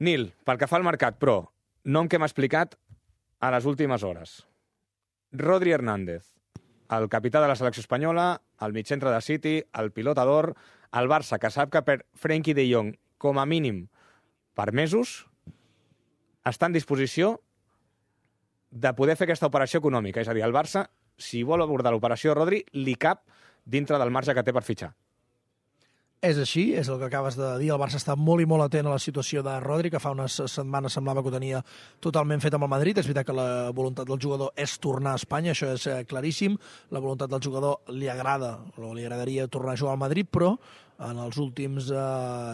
Nil, pel que fa al mercat, però, nom que m'ha explicat a les últimes hores. Rodri Hernández, el capità de la selecció espanyola, el migcentre de City, el pilota d'or, el Barça, que sap que per Frenkie de Jong, com a mínim per mesos, està en disposició de poder fer aquesta operació econòmica. És a dir, el Barça, si vol abordar l'operació Rodri, li cap dintre del marge que té per fitxar. És així, és el que acabes de dir. El Barça està molt i molt atent a la situació de Rodri, que fa unes setmanes semblava que ho tenia totalment fet amb el Madrid. És veritat que la voluntat del jugador és tornar a Espanya, això és claríssim. La voluntat del jugador li agrada, o li agradaria tornar a jugar al Madrid, però en els últims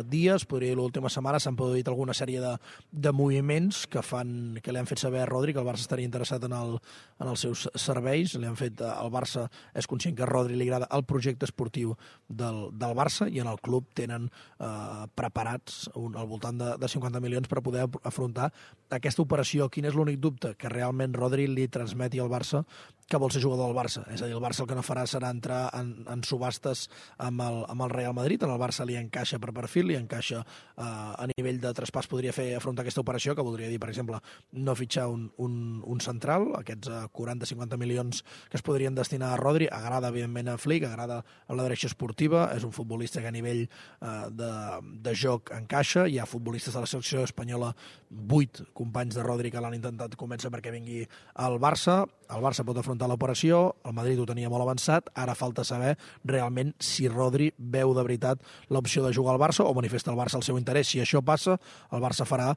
dies, podria dir l'última setmana, s'han produït alguna sèrie de moviments que li han fet saber a Rodri que el Barça estaria interessat en els seus serveis. El Barça és conscient que a Rodri li agrada el projecte esportiu del Barça i en el club tenen preparats al voltant de 50 milions per poder afrontar aquesta operació. Quin és l'únic dubte? Que realment Rodri li transmeti al Barça que vol ser jugador del Barça. És a dir, el Barça el que no farà serà entrar en subhastes amb el Real Madrid. En el Barça li encaixa per perfil, li encaixa a nivell de traspàs, podria afrontar aquesta operació, que voldria dir, per exemple, no fitxar un central, aquests 40-50 milions que es podrien destinar a Rodri. Agrada, evidentment, a Flick, agrada a la direcció esportiva, és un futbolista que a nivell de joc encaixa. Hi ha futbolistes de la selecció espanyola, 8 companys de Rodri que l'han intentat convèncer perquè vingui al Barça. El Barça pot afrontar l'operació, el Madrid ho tenia molt avançat, ara falta saber realment si Rodri veu de veritat l'opció de jugar al Barça o manifesta al Barça el seu interès. Si això passa, el Barça farà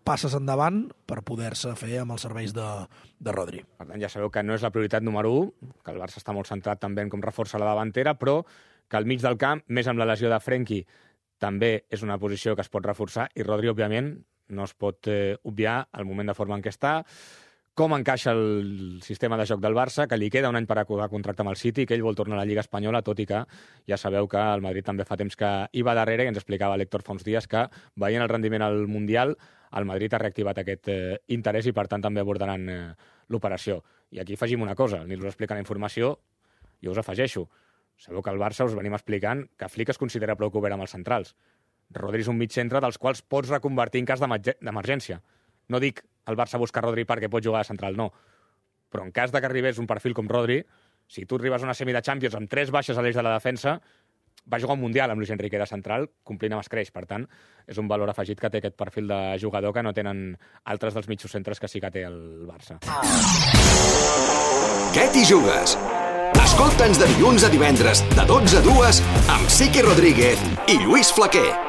passes endavant per poder-se fer amb els serveis de Rodri. Per tant, ja sabeu que no és la prioritat número 1, que el Barça està molt centrat també en com reforça la davantera, però que al mig del camp, més amb la lesió de Frenkie, també és una posició que es pot reforçar i Rodri, òbviament, no es pot obviar el moment de forma en què està, com encaixa el sistema de joc del Barça, que li queda un any per acabar contracte amb el City, que ell vol tornar a la Lliga Espanyola, tot i que ja sabeu que el Madrid també fa temps que hi va darrere, i ens explicava l'Héctor fa uns dies que, veient el rendiment al Mundial, el Madrid ha reactivat aquest interès i, per tant, també abordaran l'operació. I aquí afegim una cosa, ni us explica la informació, jo us afegeixo. Sabeu que al Barça us venim explicant que Flick es considera prou cobert amb els centrals. Rodri és un mig centre dels quals pots reconvertir en cas d'emergència. No dic el Barça busca Rodri perquè pot jugar a central, no. Però en cas que arribés un perfil com Rodri, si tu arribes a una semi de Champions amb 3 baixes a l'eix de la defensa, va jugar un Mundial amb Luis Enrique de central, complint amb escreix. Per tant, és un valor afegit que té aquest perfil de jugador que no tenen altres dels mitjos centres que sí que té el Barça. Què t'hi jugues? Escolta'ns de dilluns a divendres, de 12 a 2, amb Sique Rodríguez i Lluís Flaquer.